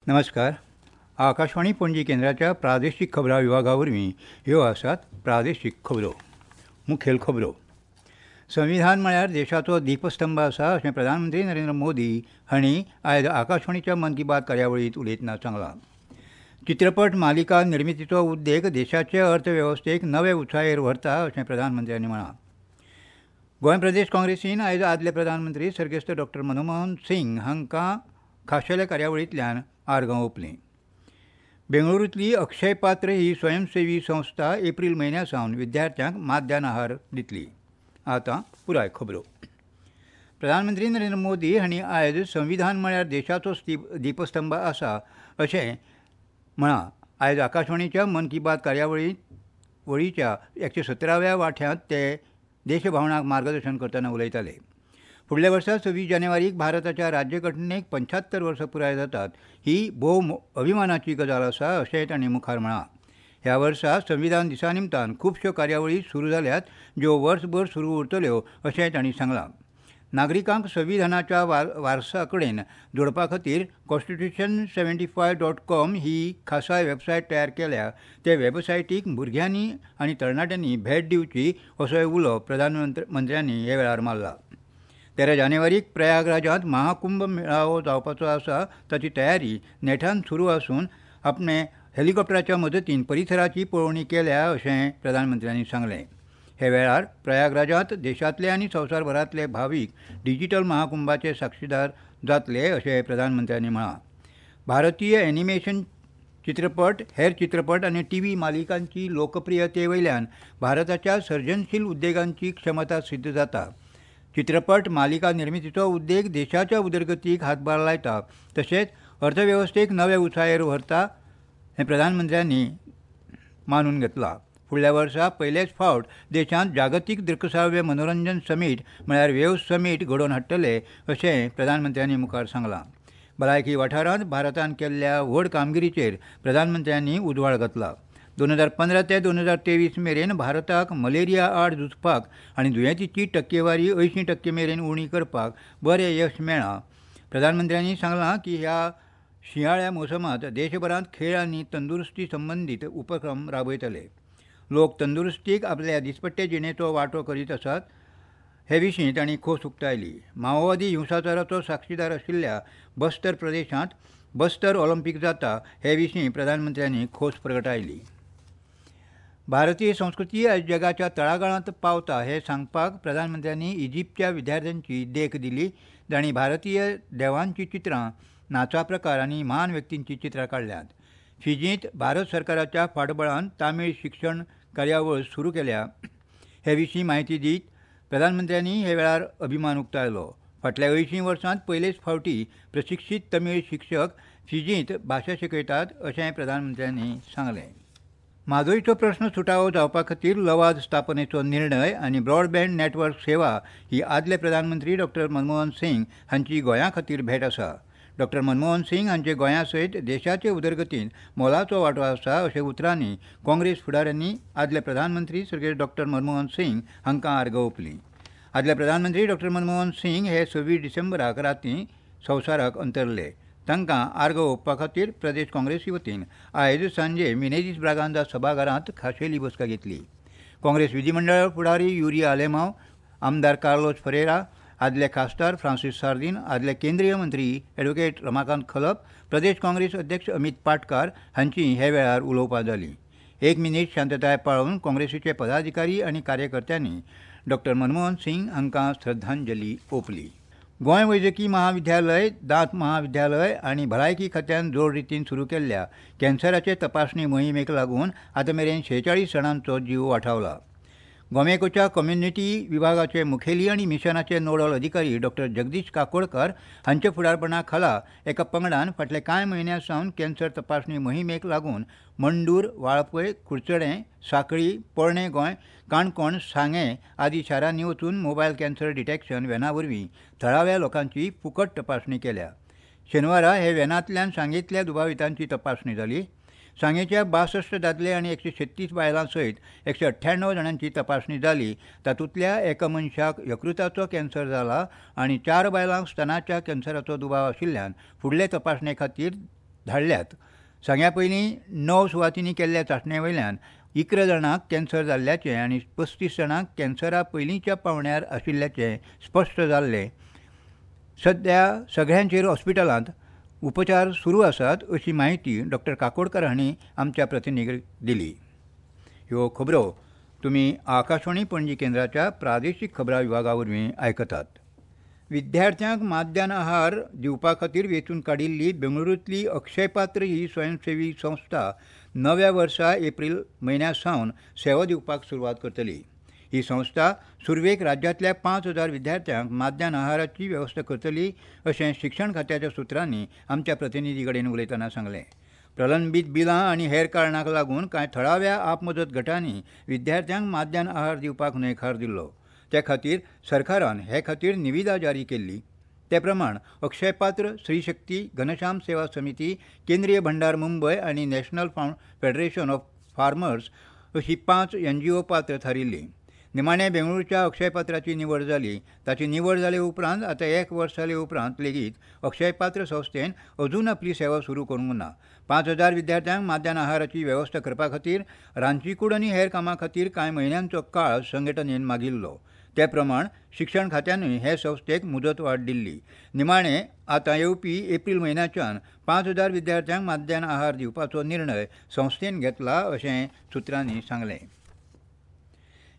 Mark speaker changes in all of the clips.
Speaker 1: नमस्कार. आकाशवाणी पणजी केंद्राच्या प्रादेशीक खबरां विभागा वरवीं ह्यो आसात प्रादेशीक खबरो. मुखेल खबरो. संविधान म्हळ्यार देशाचो दीपस्तंभ आसा अशें प्रधानमंत्री नरेंद्र मोदी हांणी आयज आकाशवाणीच्या मन की बात कार्यावळींत उलयतना सांगलां. चित्रपट मालिका निर्मितीचो उद्देग देशाचे अर्थवेवस्थेक नवे उंचायेर व्हरता अशें प्रधानमंत्र्यांनी म्हळां. गोंय प्रदेश काँग्रेसीन आयज आदले प्रधानमंत्री सर्गेस्त डॉक्टर मनमोहन सिंग हांकां खाशेल्या कार्यावळींतल्यान आर्गां ओंपलीं. बेंगळुरूंतली अक्षय पात्र ही स्वयंसेवी संस्था एप्रील म्हयन्या सावन विद्यार्थ्यांक माध्यान आहार दितली. आतां पुराय खबरो. प्रधानमंत्री नरेंद्र मोदी हांणी आयज संविधान म्हळ्यार देशाचो दीपस्तंभ आसा अशें म्हळां. आयज आकाशवाणीच्या मन की बात कार्यावळीच्या 117व्या वांट्यांत ते देशभावनाक मार्गदर्शन करतना उलयताले. फुडल्या वर्सा 26 जानेवारीक भारताच्या राज्यघटनेक 75 वर्सां पुराय जातात ही भोव अभिमानाची गजाल आसा अशेंय तांणी मुखार म्हळां. ह्या वर्सा संविधान दिसा निमतान खुबश्यो कार्यावळी सुरू जाल्यात ज्यो वर्सभर सुरू उरतल्यो अशेंय तांणी सांगलां. नागरिकांक संविधानाच्या वारसा कडेन जोडपा खातीर constitution75.com ही खासा वेबसायट तयार केल्या. ते वेबसायटीक भुरग्यांनी आनी तरणाट्यांनी भेट दिवची असोय उलो प्रधानमंत्र्यांनी ह्या वेळार मारला. 13 जानेवारीक प्रयागराजांत महाकुंभ मेळावो जावपाचो आसा ताची तयारी नेटान सुरू आसून आपणे हेलिकॉप्टराच्या मदतीन परिसराची पळोवणी केल्या अशें प्रधानमंत्र्यांनी सांगलें. हे वेळार प्रयागराजांत देशांतले आनी संवसारभरांतले भावीक डिजिटल महाकुंभाचे साक्षीदार जातले अशें प्रधानमंत्र्यांनी म्हळां. भारतीय एनिमेशन चित्रपट, हेर चित्रपट आनी टीव्ही मालिकांची लोकप्रियते वयल्यान भारताच्या सर्जनशील उद्देगांची क्षमता सिद्ध जाता. चित्रपट मालिका निर्मितीचो उद्देग देशाच्या उदरगतीक हातभार लायता तशेंच अर्थवेवस्थेक नवे उंचायेर व्हरता हें प्रधानमंत्र्यांनी मानून घेतलां. फुडल्या वर्सा पयलेच फावट देशांत जागतीक दृकश्राव्य मनोरंजन समीट म्हळ्यार वेव समीट घडोवन हाडटले अशें प्रधानमंत्र्यांनी मुखार सांगलां. भलायकी वाठारांत भारतान केल्ल्या व्हड कामगिरीचेर प्रधानमंत्र्यांनी उजवाड घातला. 2015 ते 2023 मेरेन भारताक मलेरिया आड झुजपाक आनी दुयेंतीची टक्केवारी 80% मेरेन उणी करपाक बरें यश मेळ्ळां. प्रधानमंत्र्यांनी सांगलां की ह्या शिंयाळ्या मोसमांत देशभरांत खेळ आनी तंदुरुस्ती संबंदीत उपक्रम राबयतले. लोक तंदुरुस्तीक आपल्या दिसपट्टे जिणेचो वांटो करीत आसात हे विशीं तांणी खोस उक्तायली. माओवादी हिंसाचाराचो साक्षीदार आशिल्ल्या बस्तर प्रदेशांत बस्तर ऑलिम्पीक जाता हे विशीं प्रधानमंत्र्यांनी खोस प्रगटायली. भारतीय संस्कृती आयज जगाच्या तळागाळांत पावता हें सांगपाक प्रधानमंत्र्यांनी इजिप्तच्या विद्यार्थ्यांची देख दिली जांणी भारतीय देवांची चित्रां, नाचा प्रकार आनी म्हान व्यक्तींची चित्रां काडल्यांत. फिजींत भारत सरकाराच्या फाटबळान तामीळ शिक्षण कार्यावळ सुरू केल्या हे विशीं म्हायती दीत प्रधानमंत्र्यांनी हे वेळार अभिमान उक्तायलो. फाटल्या 80 वर्सांत पयलेच फावटी प्रशिक्षीत तमीळ शिक्षक फिजींत भाशा शिकयतात अशें प्रधानमंत्र्यांनी सांगलें. म्हादयचो प्रश्न सुटावो जावपा खातीर लवाद स्थापनेचो निर्णय आनी ब्रॉडबँड नेटवर्क सेवा ही आदले प्रधानमंत्री डॉक्टर मनमोहन सिंग हांची गोंया खातीर भेट आसा. डॉक्टर मनमोहन सिंग हांचे गोंया सयत देशाचे उदरगतींत मोलाचो वांटो आसा अशें उतरांनी काँग्रेस फुडाऱ्यांनी आदले प्रधानमंत्री सर्गेस्त डॉक्टर मनमोहन सिंग हांकां आर्गां ओंपलीं. आदले प्रधानमंत्री डॉक्टर मनमोहन सिंग हे 26 डिसेंबराक रातीं संवसाराक अंतरले. तांकां आर्गां ओंपपा खातीर प्रदेश काँग्रेसी वतीन आयज सांजे मिनेझीस ब्रागांझा सभाघरांत खाशेली बसका घेतली. काँग्रेस विधीमंडळ फुडारी युरी आलेमांव, आमदार कार्लोस फरेरा, आदले खासदार फ्रांसीस सार्दीन, आदले केंद्रीय मंत्री ॲडव्होकेट रमाकांत खलप, प्रदेश काँग्रेस अध्यक्ष अमित पाटकार हांची हे वेळार उलोवपां जालीं. 1 मिनीट शांतताय पाळून काँग्रेसीचे पदाधिकारी आनी कार्यकर्त्यांनी डॉक्टर मनमोहन सिंग हांकां श्रद्धांजली ओंपली. गोंय वैजकी महाविद्यालय, दांत महाविद्यालय आनी भलायकी खात्यान जोड रितीन सुरू केल्ल्या कॅन्सराचे तपासणी मोहिमेक लागून आतां मेरेन 46 जाणांचो जीव वाठावला. गोमेकोच्या कम्युनिटी विभागाचे मुखेली आनी मिशनाचे नोडल अधिकारी डॉक्टर जगदीश काकोडकर हांच्या फुडारपणा खाला एका पंगडान फाटल्या कांय म्हयन्यां सावन कॅन्सर तपासणी मोहिमेक लागून मंडूर, वाळपय, कुडचडें, सांखळी, पोरणें गोंय, काणकोण, सांगें आदी शारांनी वचून मोबायल कॅन्सर डिटॅक्शन व्हॅना वरवीं थळाव्या लोकांची फुकट तपासणी केल्या. शेनवारा हे व्हॅनांतल्यान सांगेंतल्या दुबावितांची तपासणी जाली. सांगेच्या 62 दादले आनी 136 बायलां सयत 198 जाणांची तपासणी जाली. तातूंतल्या एका मनशाक यकृताचो कॅन्सर जाला आनी 4 बायलांक स्तनाच्या कॅन्सराचो दुबाव आशिल्ल्यान फुडले तपासणे खातीर धाडल्यात. सांग्या पयलीं 9 सुवातींनी केल्ल्या चांचणे वयल्यान 11 जाणांक कॅन्सर जाल्ल्याचें आनी 35 जाणांक कॅन्सरा पयलींच्या पावंड्यार आशिल्ल्याचें स्पश्ट जाल्लें. सध्या सगळ्यांचेर हॉस्पिटलांत उपचार सुरू आसात अशी म्हायती डॉक्टर काकोडकर हांणी आमच्या प्रतिनिधीक दिली. ह्यो खबरो तुमी आकाशवाणी पणजी केंद्राच्या प्रादेशीक खबरां विभागा वरवीं आयकतात. विद्यार्थ्यांक माध्यान आहार दिवपा खातीर वेंचून काडिल्ली बेंगळुरूंतली अक्षयपात्र ही स्वयंसेवी संस्था नव्या वर्सा एप्रील म्हयन्या सावन सेवा दिवपाक सुरवात करतली. ही संस्था सुरवेक राज्यांतल्या 5,000 विद्यार्थ्यांक माध्यान आहाराची वेवस्था करतली अशें शिक्षण खात्याच्या सुत्रांनी आमच्या प्रतिनिधी कडेन उलयतना सांगलें. प्रलंबीत बिलां आनी हेर कारणांक लागून कांय थळाव्या आपमजत गटांनी विद्यार्थ्यांक माध्यान आहार दिवपाक न्हयकार दिल्लो. ते खातीर सरकारान हे खातीर निविदा जारी केल्ली. ते प्रमाण अक्षयपात्र, स्त्रीशक्ती, घनश्याम सेवा समिती, केंद्रीय भंडार मुंबय आनी नॅशनल फेडरेशन ऑफ फार्मर्स अशी 5 NGO पात्र थारिल्ली. निमाणे बेंगळुरूच्या अक्षयपात्राची निवड जाली. ताची निवड जाले उपरांत आतां 1 वर्स जाले उपरांत लेगीत अक्षयपात्र संस्थेन अजून आपली सेवा सुरू करूंक ना. 5,000 विद्यार्थ्यांक माध्यान आहाराची वेवस्था करपा खातीर रांदचीकूड आनी हेर कामां खातीर कांय म्हयन्यांचो काळ संघटनेन मागिल्लो. ते प्रमाण शिक्षण खात्यानूय हे संस्थेक मुदतवाड दिल्ली. निमाणे आतां येवपी एप्रील म्हयन्याच्यान 5,000 विद्यार्थ्यांक माध्यान आहार दिवपाचो निर्णय संस्थेन घेतला अशें सुत्रांनी सांगलें.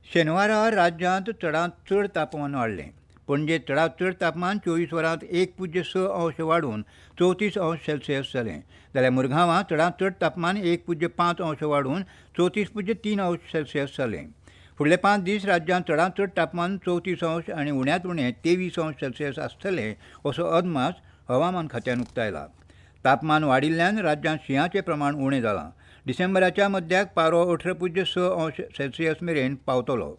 Speaker 1: शेनवारा राज्यांत चडांत चड तापमान वाडलें. पणजेंत चडांत चड तापमान 24 वरांत 1.6 अंश वाडून 34 अंश सेल्सियस जालें. जाल्यार मुरगांवां चडांत चड तापमान 1.5 अंश वाडून 34.3 अंश सेल्सियस जालें. फुडले 5 दीस राज्यांत चडांत चड तापमान 34 अंश आनी उण्यांत उणें 23 अंश सेल्सियस आसतलें असो अदमास हवामान खात्यान उक्तायला. तापमान वाडिल्ल्यान राज्यांत शिंयाचें प्रमाण उणें जालां. डिसेंबराच्या मध्याक पारो 18.6 अंश सेल्सियस मेरेन पावतलो.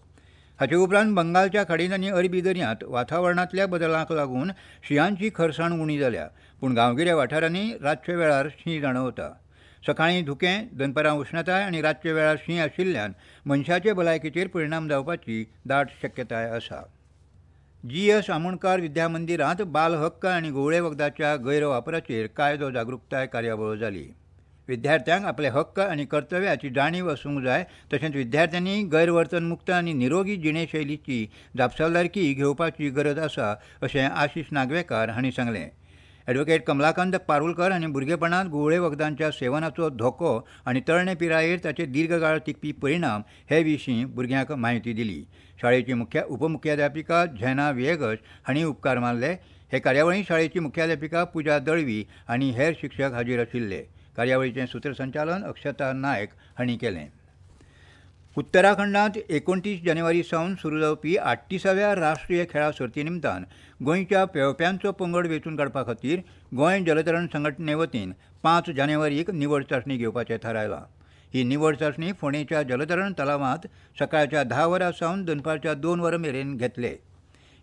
Speaker 1: हाचे उपरांत बंगालच्या खाडींत आनी अरबी दर्यांत वातावरणांतल्या बदलांक लागून शिंयांची खरसाण उणी जाल्या. पूण गांवगिऱ्या वाठारांनी रातच्या वेळार शीं जाणवता. सकाळीं धुकें, दनपारां उश्णताय आनी रातच्या वेळार शीं आशिल्ल्यान मनशाचे भलायकेचेर परिणाम जावपाची दाट शक्यताय आसा. GS Amonkar विद्या मंदिरांत बाल हक्क आनी घुंवळे वखदाच्या गैरवापराचेर कायदो जागृताय कार्यावळ जाली. विद्यार्थ्यांक आपले हक्क आनी कर्तव्याची जाणीव आसूंक जाय. तशेंच विद्यार्थ्यांनी गैरवर्तनमुक्त आनी निरोगी जिणेशैलीची जापसालदारकी घेवपाची गरज आसा अशें आशिष नागवेकार हांणी सांगलें. ॲडव्होकेट कमलाकांत पारुलकर हांणी भुरगेपणांत घुंवळे वखदांच्या सेवनाचो धोको आनी तरणे पिरायेर ताचे दीर्घकाळ टिकपी परिणाम हे विशीं भुरग्यांक म्हायती दिली. शाळेची उपमुख्याध्यापिका झेना विएगस हांणी उपकार मानले. हे कार्यावळींत शाळेची मुख्याध्यापिका पुजा दळवी आनी हेर शिक्षक हाजीर आशिल्ले. कार्यावळीचें सूत्रसंचालन अक्षता नायक हांणी केलें. उत्तराखंडांत 29 जानेवारी सावन सुरू जावपी 38व्या राष्ट्रीय खेळां सर्ती निमतान गोंयच्या पेंवप्यांचो पंगड वेंचून काडपा खातीर गोंय जलतरण संघटने वतीन 5 जानेवारीक निवड चांचणी घेवपाचें थारायलां. ही निवड चांचणी फोंडेच्या जलतरण तलावांत सकाळच्या 10 वरां सावन दनपारच्या 2 वरां मेरेन घेतले.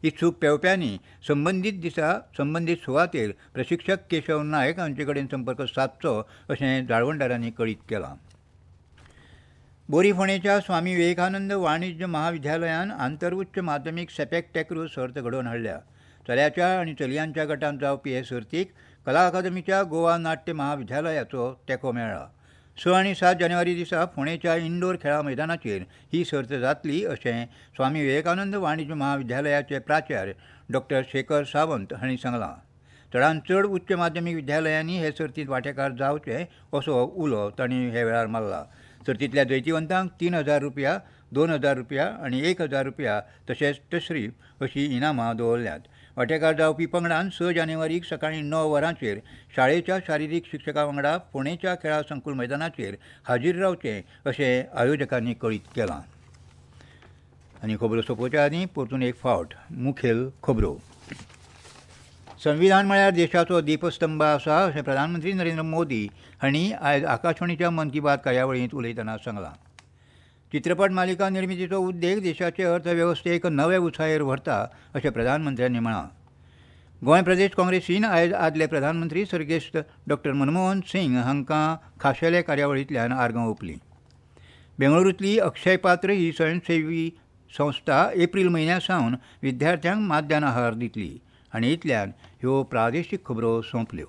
Speaker 1: इत्सूक पेंवप्यांनी संबंदीत दिसा संबंदीत सुवातेर प्रशिक्षक केशव नायक हांचे कडेन संपर्क सादचो अशें जाळवणदारांनी कळीत केलां. बोरी फोंडेच्या स्वामी विवेकानंद वाणिज्य महाविद्यालयान आंतर उच्च माध्यमीक सेपेक टॅक्रो सर्त घडोवन हाडल्या. चल्याच्या आनी चलयांच्या गटांत जावपी हे सर्तीक कला अकादमीच्या गोवा नाट्य महाविद्यालयाचो तेंको मेळ्ळा. 6 आनी 7 जानेवारी दिसा फोंडेच्या इंडोर खेळां मैदानाचेर ही सर्त जातली अशें स्वामी विवेकानंद वाणिज्य महाविद्यालयाचे प्राचार्य डॉक्टर शेखर सावंत हांणी सांगलां. चडांत चड उच्च माध्यमीक विद्यालयांनी हे सर्तींत वांटेकार जावचे असो उलो तांणी हे वेळार मारला. सर्तींतल्या जैतिवंतांक 3,000 रुपया, 2,000 रुपया आनी 1,000 रुपया तशेंच तशरीफ अशी इनामां दवरल्यांत. वांटेकार जावपी पंगडान 6 जानेवारीक सकाळीं 9 वरांचेर शाळेच्या शारिरीक शिक्षका वांगडा फोंडेच्या खेळां संकुल मैदानाचेर हाजीर रावचें अशें आयोजकांनी कळीत केलां. आनी खबरो सोंपोवच्या आदीं परतून एक फावट मुखेल खबरो. संविधान म्हळ्यार देशाचो दीपस्तंभ आसा अशें प्रधानमंत्री नरेंद्र मोदी हांणी आयज आकाशवाणीच्या मन की बात कार्यावळींत उलयतना सांगलां. चित्रपट मालिका निर्मितीचो उद्देग देशाचे अर्थवेवस्थेक नवे उंचायेर व्हरता अशें प्रधानमंत्र्यांनी म्हळां. गोंय प्रदेश काँग्रेसीन आयज आदले प्रधानमंत्री सर्गेस्त डॉक्टर मनमोहन सिंग हांकां खाशेले कार्यावळींतल्यान आर्गां ओंपलीं. बेंगळुरूंतली अक्षयपात्र ही स्वयंसेवी संस्था एप्रील म्हयन्या सावन विद्यार्थ्यांक माध्यान आहार दितली. आनी इतल्यान ह्यो प्रादेशीक खबरो सोंपल्यो.